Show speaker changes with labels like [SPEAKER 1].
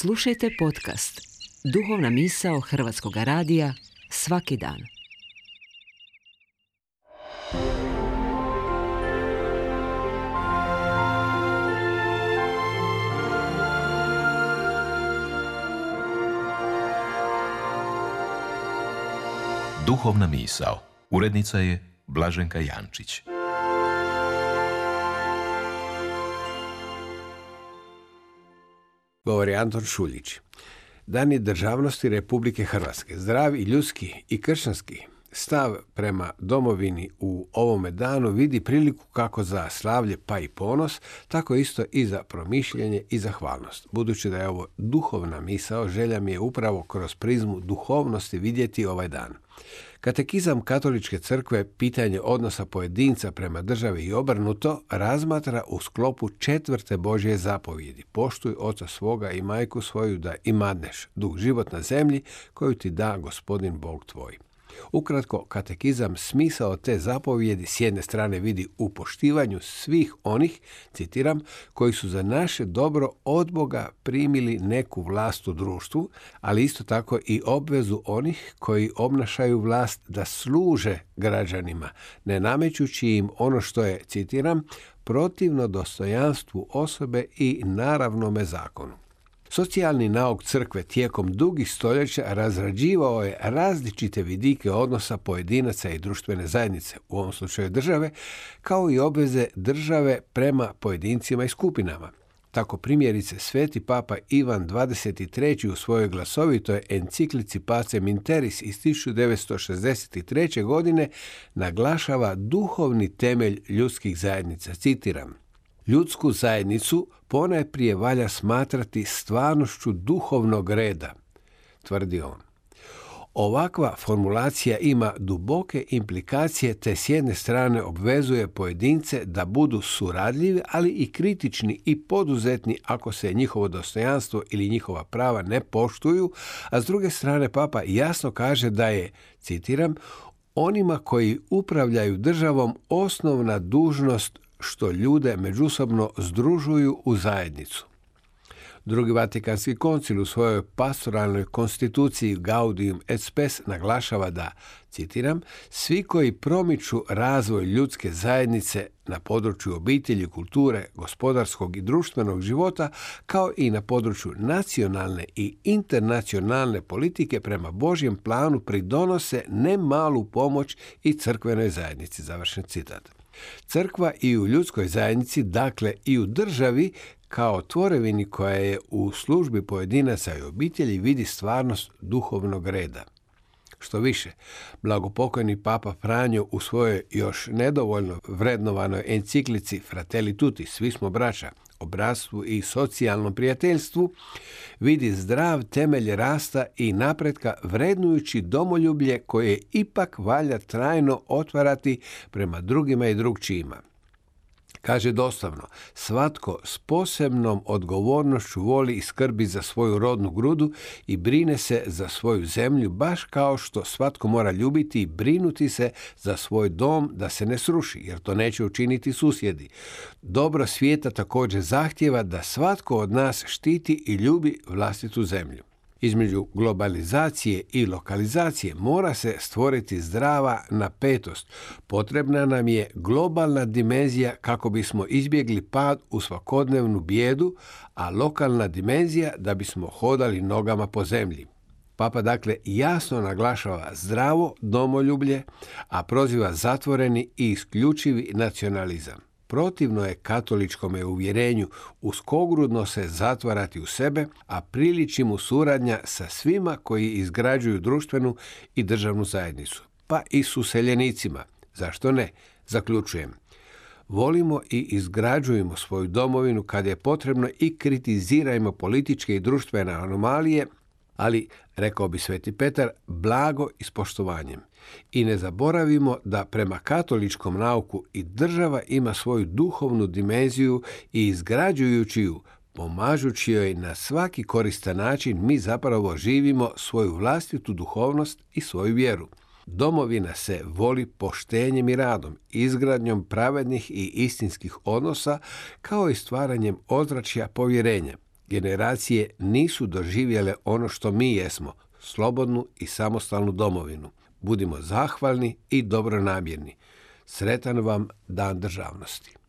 [SPEAKER 1] Slušajte podcast Duhovna misao Hrvatskog radija svaki dan.
[SPEAKER 2] Duhovna misao. Urednica je Blaženka Jančić.
[SPEAKER 3] Govori Anton Šuljić. Dani državnosti Republike Hrvatske. Zdrav i ljudski i kršćanski stav prema domovini u ovome danu vidi priliku kako za slavlje pa i ponos, tako isto i za promišljanje i zahvalnost. Budući da je ovo duhovna misao, želja mi je upravo kroz prizmu duhovnosti vidjeti ovaj dan. Katekizam Katoličke crkve pitanje odnosa pojedinca prema državi i obrnuto razmatra u sklopu 4. Božje zapovjedi. Poštuj oca svoga i majku svoju da imadneš dug život na zemlji koju ti da Gospodin Bog tvoj. Ukratko, katekizam smisao te zapovjedi s jedne strane vidi u poštivanju svih onih, citiram, koji su za naše dobro od Boga primili neku vlast u društvu, ali isto tako i obvezu onih koji obnašaju vlast da služe građanima, ne namećući im ono što je, citiram, protivno dostojanstvu osobe i naravnome zakonu. Socijalni nauk crkve tijekom dugih stoljeća razrađivao je različite vidike odnosa pojedinaca i društvene zajednice, u ovom slučaju države, kao i obveze države prema pojedincima i skupinama. Tako primjerice Sveti Papa Ivan XXIII u svojoj glasovitoj enciklici Pacem in Terris iz 1963. godine naglašava duhovni temelj ljudskih zajednica, citiram: ljudsku zajednicu ponajprije valja smatrati stvarnošću duhovnog reda, tvrdi on. Ovakva formulacija ima duboke implikacije te s jedne strane obvezuje pojedince da budu suradljivi, ali i kritični i poduzetni ako se njihovo dostojanstvo ili njihova prava ne poštuju, a s druge strane Papa jasno kaže da je, citiram, onima koji upravljaju državom osnovna dužnost što ljude međusobno združuju u zajednicu. Drugi Vatikanski koncil u svojoj pastoralnoj konstituciji Gaudium et Spes naglašava da, citiram, svi koji promiču razvoj ljudske zajednice na području obitelji, kulture, gospodarskog i društvenog života, kao i na području nacionalne i internacionalne politike prema Božjem planu pridonose nemalu pomoć i crkvenoj zajednici. Završen citat. Crkva i u ljudskoj zajednici, dakle i u državi, kao tvorevini koja je u službi pojedinaca i obitelji, vidi stvarnost duhovnog reda. Što više, blagopokojni Papa Franjo u svojoj još nedovoljno vrednovanoj enciklici Fratelli Tutti, svi smo braća, o bratstvu i socijalnom prijateljstvu, vidi zdrav temelj rasta i napretka vrednujući domoljublje koje ipak valja trajno otvarati prema drugima i drugčijima. Kaže doslovno, svatko s posebnom odgovornošću voli i skrbi za svoju rodnu grudu i brine se za svoju zemlju, baš kao što svatko mora ljubiti i brinuti se za svoj dom da se ne sruši, jer to neće učiniti susjedi. Dobro svijeta također zahtijeva da svatko od nas štiti i ljubi vlastitu zemlju. Između globalizacije i lokalizacije mora se stvoriti zdrava napetost. Potrebna nam je globalna dimenzija kako bismo izbjegli pad u svakodnevnu bijedu, a lokalna dimenzija da bismo hodali nogama po zemlji. Papa dakle jasno naglašava zdravo domoljublje, a proziva zatvoreni i isključivi nacionalizam. Protivno je katoličkome uvjerenju uskogrudno se zatvarati u sebe, a priliči mu suradnja sa svima koji izgrađuju društvenu i državnu zajednicu, pa i s useljenicima. Zašto ne? Zaključujem. Volimo i izgrađujemo svoju domovinu kad je potrebno i kritizirajmo političke i društvene anomalije, ali, rekao bi Sveti Petar, blago i s poštovanjem. I ne zaboravimo da prema katoličkom nauku i država ima svoju duhovnu dimenziju i izgrađujući ju, pomažući joj na svaki koristan način, mi zapravo živimo svoju vlastitu duhovnost i svoju vjeru. Domovina se voli poštenjem i radom, izgradnjom pravednih i istinskih odnosa, kao i stvaranjem ozračja povjerenja. generacije nisu doživjele ono što mi jesmo, slobodnu i samostalnu domovinu. Budimo zahvalni i dobronamjerni. Sretan vam Dan državnosti.